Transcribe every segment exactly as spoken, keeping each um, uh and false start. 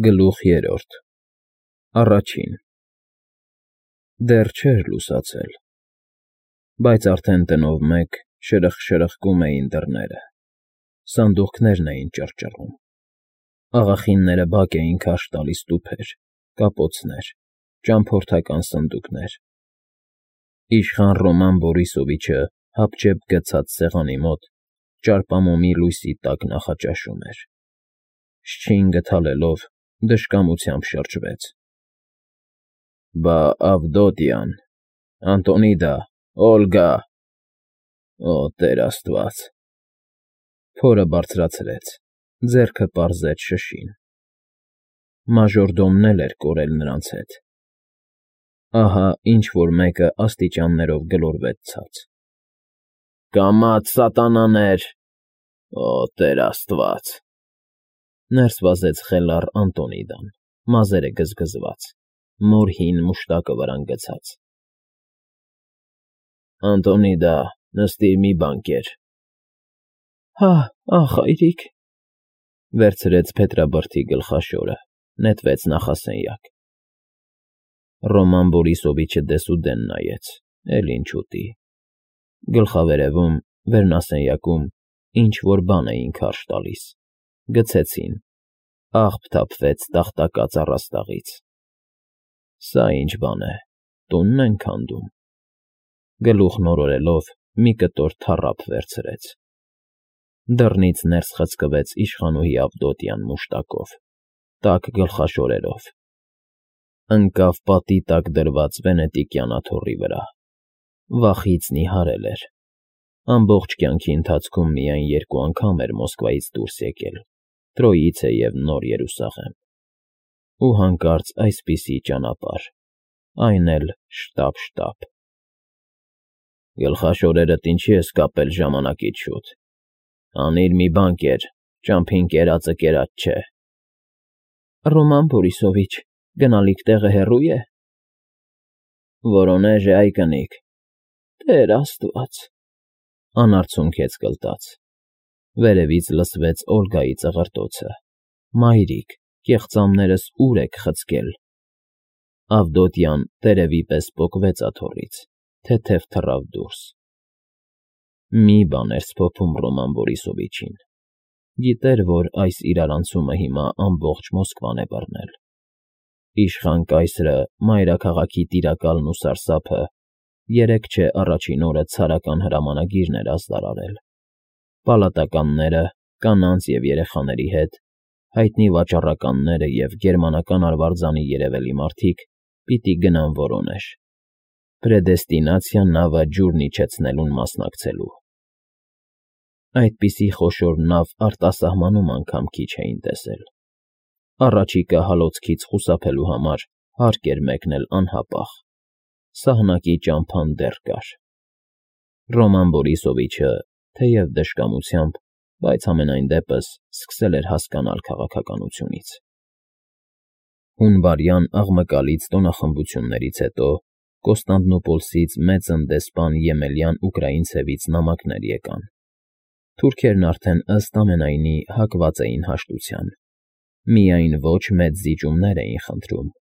Գլուխ երրորդ Առաջին Դեռ չէր լուսացել, բայց արդեն տնով մեկ շրխկ֊շրխկում էին դռները, սանդուղքներն էին ճռճռում, աղախինները բաք էին քարշ տալիս տուփեր, կապոցներ, ճամփորդական սնդուկներ, իշխան Ռոման Բորիսովիչը հապճեպ գցած սեղանի մոտ ճարպամոմի լույսի տակ նախաճաշում էր, շչինգը թալելով դժկամությամբ շրջվեց. Բա, Ավդոտյան, Անտոնիդա, Օլգա, օ, Տեր Աստված… Փորը բարձրացրեց, ձեռքը պարզեց շշին. մաժորդոմն էլ էր կորել նրանց հետ… Ահա ինչ֊որ մեկը աստիճաններով գլորվեց ցած. Կամաց, սատանաներ… Օ, Տեր Աստված… Ներս վազեց խելառ Անտոնիդան, մազերը գզգզված, մոր հին մուշտակը վրան գցած։ Անտոնիդա, նստիր, մի բան կեր… Հա, ախ, հայրիկ… Վերցրեց փետրաբրդի գլխաշորը, նետվեց նախասենյակ… Ռոման Բորիսովիչը դեսուդեն նայեց, էլ ինչ ուտի… Գլխավերևում, վերնասենյակում ինչ֊որ բան էին քարշ տալիս, գցեցին, աղբ թափվեց տախտակած առաստաղից… Սա ինչ բան է, տունն են քանդում… Գլուխն օրորելով մի կտոր թառափ վերցրեց… Դռնից ներս խցկվեց իշխանուհի Ավդոտյան մուշտակով, տաք գլխաշորերով… Ընկավ պատի տակ դրված վենետիկյան աթոռի վրա… Վախից նիհարել էր… Ամբողջ կյանքի ընթացքում միայն երկու անգամ էր Մոսկվայից դուրս եկել՝ Տրոիցե և Նոր Երուսաղեմ… Ու հանկարծ այսպիսի ճանապարհ, այն էլ շտապ֊շտապ… Գլխաշորերդ ինչի ես կապել ժամանակից շուտ… Անիր, մի բան կեր, ճամփին կերածը կերած չէ… Ռոման Բորիսովիչ, գնալիք տեղը հեռո՞ւ է… Վորոնեժ է, այ կնիկ… Տեր Աստված… Անարցունքեց գլտած… Վերևից լսվեց Օլգայի ծղրտոցը. Մայրիկ, կեղծամներս ուր եք խցկել… Ավդոտյան տերևի պես պոկվեց աթոռից, թեթև թռավ դուրս… Մի բան էր սփոփում Ռոման Բորիսովիչին… Գիտեր, որ այս իրարանցումը հիմա ամբողջ Մոսկվան է բռնել… Իշխան կայսրը, մայրաքաղաքի տիրակալն ու սարսափը երեկ չէ առաջին օրը ցարական հրամանագիրն էր ազդար արել… Պալատականները, կանանց և երեխաների հետ, հայտնի վաճառականները և գերմանական արվարձանի երևելի մարդիկ պիտի գնան Վորոնեժ, պրեդեստինացիա նավը ջուրն իջեցնելուն մասնակցելու… Այդպիսի խոշոր նավ արտասահմանում անգամ քիչ էին տեսել… Առաջիկա հալոցքից խուսափելու համար հարկ էր մեկնել անհապաղ… Սահնակի ճամփան դեռ կար… Ռոման Բորիսովիչը, թեև դժկամությամբ, բայց համենայն դեպս սկսել էր հասկանալ քաղաքականությունից… Հունվարյան աղմկալից տոնախմբություններից հետո Կոստանդնուպոլսից մեծն դեսպան Եմելյան Ուկրաինցևից նամակներ եկան… Թուրքերն արդեն ըստ ամենայնի հակված էին հաշտության… Միայն ոչ մեծ զիջումներ էին խնդրում,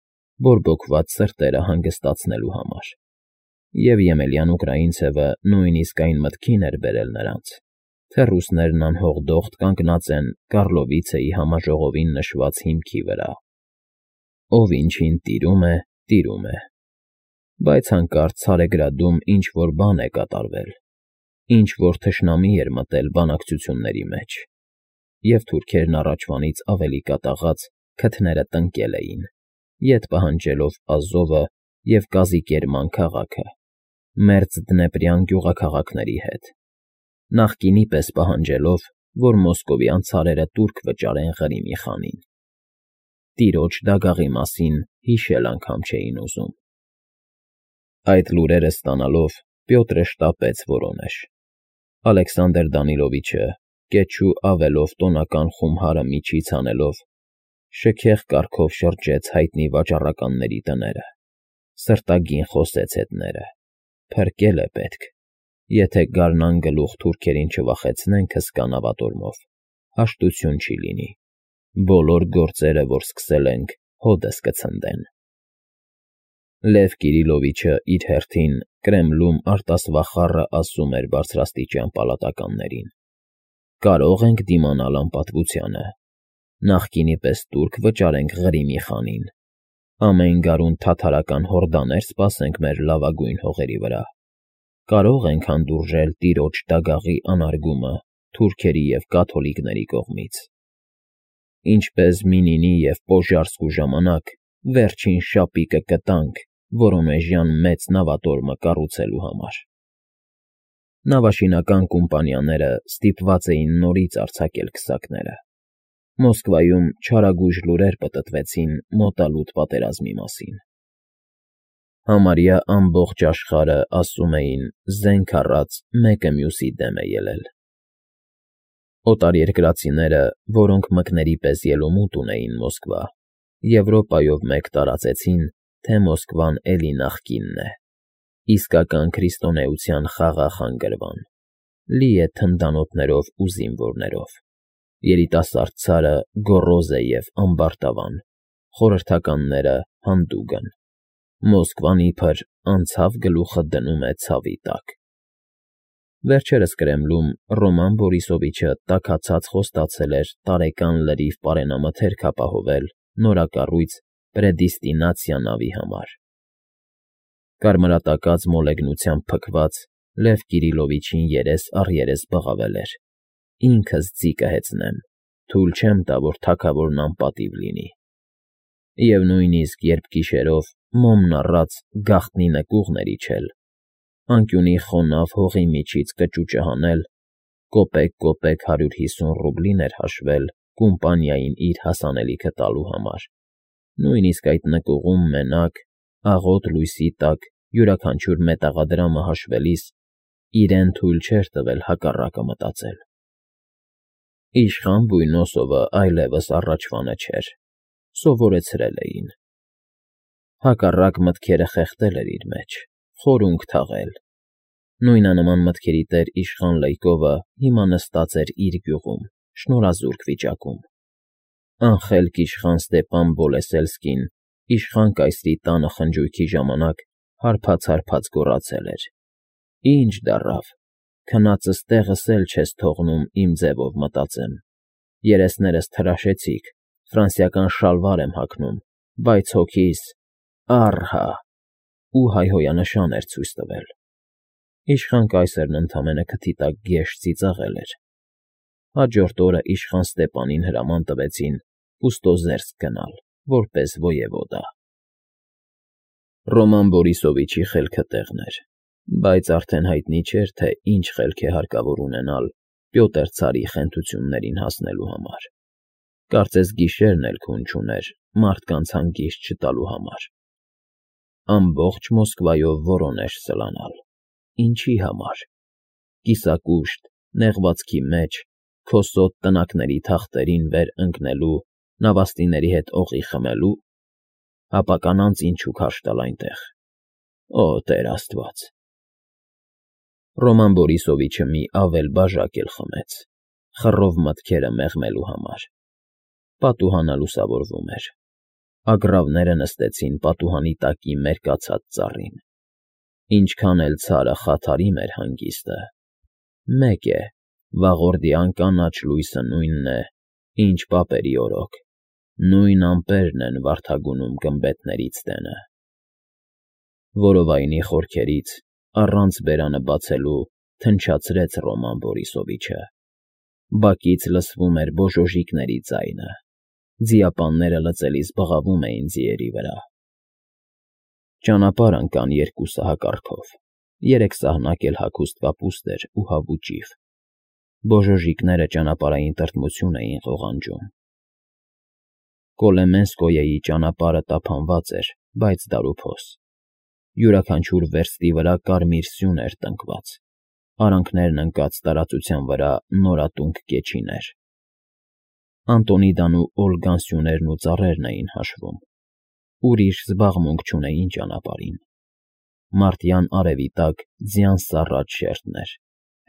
բորբոքված սրտերը հանգստացնելու համար… Եվ Եմելյան Ուկրաինցևը նույնիսկ այն մտքին էր բերել նրանց, թե ռուսներն անհողդոխտ կանգնած են Կառլովիցեի համաժողովին նշված հիմքի վրա… Ով ինչին տիրում է, տիրում է… Բայց հանկարծ Ցարեգրադում ինչ֊որ բան է կատարվել… Ինչ֊որ թշնամի էր մտել բանակցությունների մեջ… Եվ թուրքերն առաջվանից ավելի կատաղած քթները տնկել էին, ետ պահանջելով Ազովը և Կազիկերման քաղաքը, մերձ դնեպրյան գյուղաքաղաքների հետ, նախկինի պես պահանջելով, որ մոսկովյան ցարերը տուրք վճարեն Ղրիմի խանին… Տիրոջ դագաղի մասին հիշել անգամ չէին ուզում… Այդ լուրերը ստանալով Պյոտրը շտապեց Վորոնեժ… Ալեքսանդր Դանիլովիչը, կեչու ավելով տոնական խումհարը միջից հանելով, շքեղ կառքով շրջեց հայտնի վաճառականների տները, սրտագին խոսեց հետները. Փրկել է պետք… Եթե գարնան գլուխ թուրքերին չվախեցնենք հսկա նավատորմով, հաշտություն չի լինի… Բոլոր գործերը, որ սկսել ենք, հօդս կցնդեն։ Լև Կիրիլովիչը իր հերթին Կրեմլում արտասվախառը ասում էր բարձրաստիճան պալատականներին. «Կարող ենք դիմանալ անպատվությանը։ Նախկինի պես տուրք վճարենք Ղրիմի խանին։ Ամեն գարուն թաթարական հորդաներ սպասենք մեր լավագույն հողերի վրա։ Կարող ենք հանդուրժել տիրոջ դագաղի անարգումը թուրքերի և կաթոլիկների կողմից։ Ինչպես Մինինի և Պոժարսկու ժամանակ վերջին շապիկը կտանք Վորոնեժյան մեծ նավատորմը կառուցելու համար»։ Նավաշինական կոմպանիաները ստիպված էին նորից արձակել քսակները։ Մոսկվայում չարագույժ լուրեր պտտվեցին մոտալուտ պատերազմի մասին։ Համարյա ամբողջ աշխարհը, ասում էին, զենք առած մեկը մյուսի դեմ է ելել։ Օտարերկրացիները, որոնք մկների պես ելումուտ ունեին Մոսկվա, Եվրոպայով մեկ տարածեցին, թե Մոսկվան էլի նախկինն է, իսկական քրիստոնեության խաղաղ անգրվան, լի է թնդանոթներով ու զինվորներով, երիտասարդ ցարը գոռոզ է և ամբարտավան, խորհրդականները հանդուգն, Մոսկվան իբր անցավ գլուխը դնում է ցավի տակ։ Վերջերս Կրեմլում Ռոման Բորիսովիչը տաքացած խոստացել էր տարեկան լրիվ պարենամթերք ապահովել նորակառույց Պրեդեստինացիա նավի համար։ Կարմրատակած մոլեգնությամբ փքված Լև Կիրիլովիչին երես առ երես բղավել էր. «Ինքս ձի կհեծնեմ, թույլ չեմ տա, որ թագավորն անպատիվ լինի»։ Եվ նույնիսկ երբ գիշերով, մոմն առած, գաղտնի նկուղն էր իջել, անկյունի խոնավ հողի միջից կճուճը հանել, կոպեկ֊կոպեկ հարյուր հիսուն ռուբլին էր հաշվել կոմպանիային իր հասանելիքը տալու համար, նույնիսկ այդ նկուղում մենակ, աղոտ լույսի տակ յուրաքանչյուր մետաղադրամը հաշվելիս իրեն թույլ չէր տվել հակառակը մտածել։ Իշխան Բույնոսովը այլևս առաջվանը չէր, սովորեցրել էին։ Հակառակ մտքերը խեղդել էր իր մեջ, խորունգ թաղել։ Նույնանման մտքերի տեր իշխան Լյկովը հիմա նստած էր իր գյուղում, շնորհազուրկ վիճակում։ Անխելք իշխան Ստեպան Բոլեսելսկին իշխան կայսրի տանը խնջույքի ժամանակ հարբած֊հարբած գոռացել էր. «Ինչ դառավ, քնածս տեղս էլ չես թողնում իմ ձևով մտածեմ, երեսներս թրաշեցիք, ֆրանսիական շալվար եմ հագնում, բայց հոգիս՝ ա՛ռհա» ու հայհոյանշան էր ցույց տվել։ Իշխան կայսրն ընդամենը քթի տակ գեշ ծիծաղել էր։ Հաջորդ օրը իշխան Ստեպանին հրաման տվեցին Պուստոզերսկ գնալ, որպես ոյևոդա։ Ռոման Բորիսովիչի խելքը տեղն էր, բայց արդեն հայտնի չէր, թե ինչ խելք է հարկավոր ունենալ Պյոտր ցարի խենթություններին հասնելու համար։ Կարծես գիշերն էլ քուն չուներ մարդկանց հանգիստ չտալու համար։ Ամբողջ Մոսկվայով Վորոնեժ սլանալ։ Ինչի համար։ Կիսակուշտ, նեղվածքի մեջ, քոսոտ տնակների թախտերին վեր ընկնելու, նավաստիների հետ օղի խմելու։ Հապա կանանց ինչու քարշ տալ այնտեղ։ Օ, Տեր Աստված։ Ռոման Բորիսովիչը մի ավել բաժակ էլ խմեց, խռով մտքերը մեղմելու համար։ Պատուհանը լուսավորվում էր։ Ագռավները նստեցին պատուհանի տակի մերկացած ծառին։ Ինչքան էլ ցարը խաթարի մեր հանգիստը, մեկ է, վաղորդյան կանաչ լույսը նույնն է, ինչ պապերի օրոք, նույն ամպերն են վարդագունում գմբեթներից տենը։ Որովայնի խորքերից, առանց բերանը բացելու, թնչացրեց Ռոման Բորիսովիչը։ Բակից լսվում էր բոժոժիկների ձայնը, ձիապանները լծելիս բղավում էին ձիերի վրա։ Ճանապարհ ընկան երկուսը հակառքով, երեք սահնակ էլ հագուստ կապուստ էր ու հավու ճիվ։ Բոժոժիկները ճանապարհային տրտմություն էին ղողանջում։ Կոլեմենսկոյեի ճանապարհը տափանված էր, բայց դարուփոս։ Յուրաքանչյուր վերստի վրա կարմիր սյուն էր տնկված, արանքներն ընկած տարածության վրա նորատունկ կեչիներ։ Անտոնիդան ու Օլգան սյուներն ու ծառերն էին հաշվում։ Ուրիշ զբաղմունք չունեին ճանապարհին։ Մարտյան արևի տակ ձյան սառած շերտներ,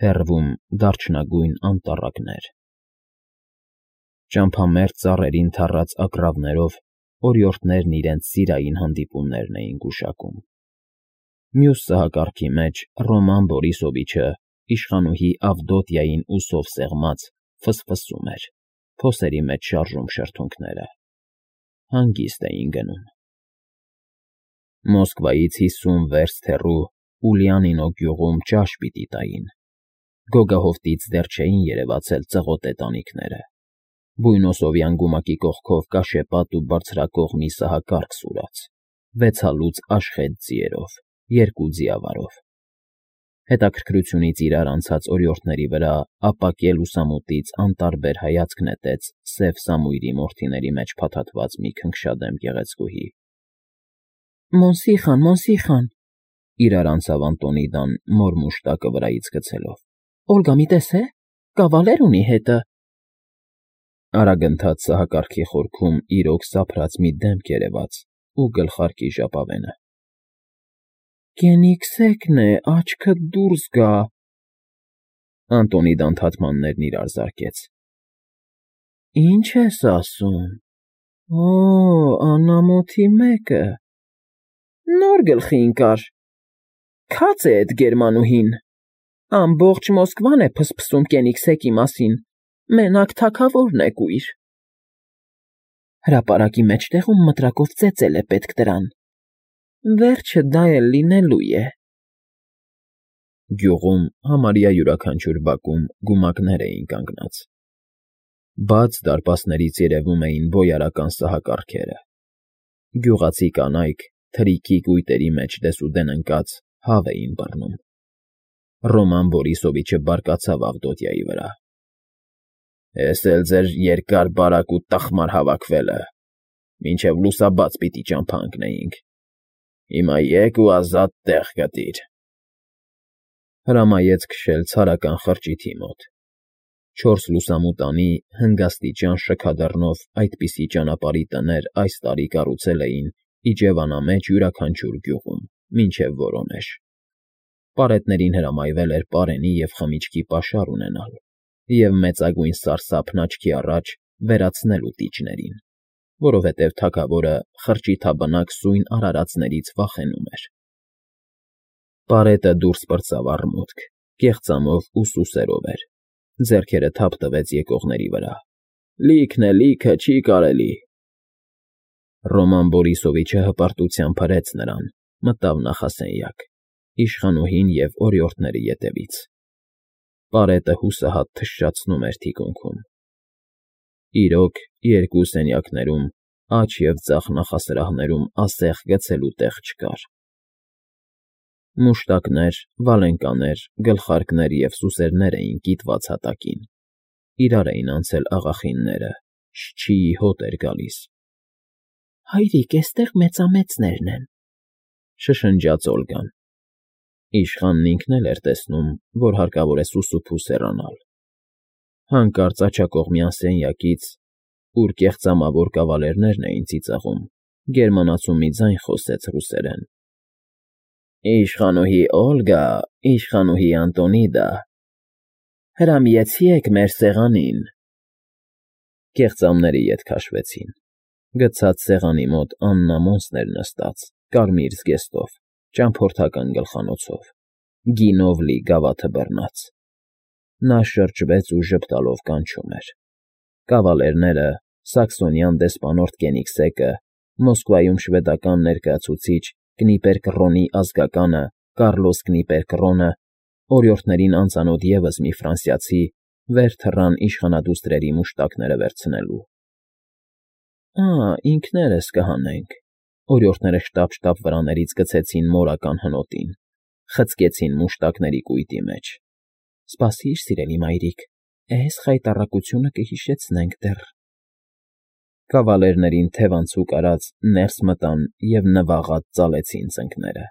հեռվում դարչնագույն անտառակներ։ Ճամփամերձ ծառերին թառած ագռավներով օրիորդներն իրենց սիրային հանդիպումներն էին գուշակում։ Մյուս սահակարգի մեջ Ռոման Բորիսովիչը իշխանուհի Ավդոտյային ուսով սեղմած ֆսֆսում էր, փոսերի մեջ շարժում շրթունքները։ Հանգիստ էին գնում։ Մոսկվայից հիսուն վերստ հեռու Ուլիանինո գյուղում ճաշ պիտի տային։ Գոգահովտից դեռ չէին երևացել ծղոտե տանիքները։ Բույնոսովյան գումակի կողքով կաշեպատ ու բարձրակող մի սահակարգ սուրաց, վեց հալուց աշխետ ձիերով, երկու ձիավարով։ Հետաքրքրությունից իրար անցած օրիորդների վրա ապակե լուսամուտից անտարբեր հայացք նետեց սև սամույրի մորթիների մեջ փաթաթված մի քնքշադեմ գեղեցկուհի։ Մոնսիխան, Մոնսիխան, իրար անցավ Անտոնիդան մոր մուշտակը վրայից գցելով։ Օլգա մի տեսե, կավալեր ունի հետը։ Արագընթաց սահակարգի խորքում իրոք սափրած մի դեմք երևաց ու գլխարկի ժապավենը։ Կենիքսեկն է, աչքդ դուրս գա։ Անտոնիդան թաթմաններն իրար զարկեց։ Ինչ ես ասում։ Օ, անամոթի մեկը։ Նոր գլխի ընկար։ Քաց է էդ գերմանուհին։ Ամբողջ Մոսկվան է փսփսում Կենիքսեկի մասին, մենակ թագավորն է կույր։ Հրապարակի մեջտեղում մտրակով ծեծել է պետք դրան։ Վերջը դա էլ լինելու է։ Գյուղում համարյա յուրաքանչյուր բակում գումակներ էին կանգնած։ Բաց դարպասներից երևում էին բոյարական սահակարգերը։ Գյուղացի կանայք թրիքի կույտերի մեջ դեսուդեն ընկած հավ էին բռնում։ Ռոման Բորիսովիչը բարկացավ Ավդոտյայի վրա։ Էս էլ ձեր երկար բարակ ու տխմար հավաքվելը, մինչև լուսաբաց պիտի ճամփա ընկնեինք։ Հիմա եկ ու ազատ տեղ գտիր։ Հրամայեց քշել ցարական խրճիթի մոտ։ Չորս լուսամուտանի հնգաստիճան շքադռնով այդպիսի ճանապարհի տներ այս տարի կառուցել էին իջևանամեջ յուրաքանչյուր գյուղում, մինչև Որոնեժ։ Պարետներին հրամայվել էր պարենի և խմիչքի պաշար ունենալ և մեծագույն սարսափն աչքի առաջ վերացնել ուտիչներին, որովհետև թագավորը խրճիթաբնակ սույն արարածներից վախենում էր։ Պարետը դուրս պրծավ առմուտք, կեղծամով ու սուսերով էր, ձեռքերը թափ տվեց եկողների վրա։ Լիքն է, լիքը, չի կարելի։ Ռոման Բորիսովիչը հպարտությամբ հրեց նրան, մտավ նախասենյակ, իշխանուհին և օրիորդների ետևից։ Պարետը հուսահատ թշշացնում էր թիկունքում։ Իրոք, երկու սենյակներում, աջ և ձախ նախասրահներում ասեղ գցելու տեղ չկար։ Մուշտակներ, վալենկաներ, գլխարկներ և սուսերներ էին կիտված հատակին։ Իրար էին անցել աղախինները, շչիի հոտ էր գալիս։ Հայրիկ, էստեղ մեծամեծներն են, շշնջաց Օլգան։ Իշխանն ինքն էլ էր տեսնում, որ հարկավոր է սուսուփուս հեռանալ։ Հանկարծ աջակողմյան սենյակից, ուր կեղծամավոր կավալերներն էին ծիծաղում, գերմանացու մի ձայն խոսեց ռուսերեն. Իշխանուհի Օլգա, իշխանուհի Անտոնիդա, հրամիեցի՞եք մեր սեղանին։ Կեղծամների ետ քաշվեցին։ Գցած սեղանի մոտ Աննա Մոնսն էր նստած, կարմիր զգեստով, ճամփորդական գլխանոցով, գինով լի գավաթը բռնած։ Նա շրջվեց ու ժպտալով կանչում էր։ Կավալերները, սաքսոնյան դեսպանորդ Կենիքսեկը, Մոսկվայում շվեդական ներկայացուցիչ Կնիպերկռոնի ազգականը Կառլոս Կնիպերկռոնը, օրիորդներին անծանոթ ևս մի ֆրանսիացի, վեր թռան իշխանադուստրերի մուշտակները վերցնելու։ Ա, ինքներս կհանենք։ Օրիորդները շտապ֊շտապ վրաներից գցեցին մորական հնոտին, խցկեցին մուշտակների կույտի մեջ։ Սպասիր, սիրելի մայրիկ, էս խայտառակությունը կհիշեցնենք դեռ։ Կավալերներին թև անցուկ արած ներս մտան և նվաղած ծալեցին ծնկները։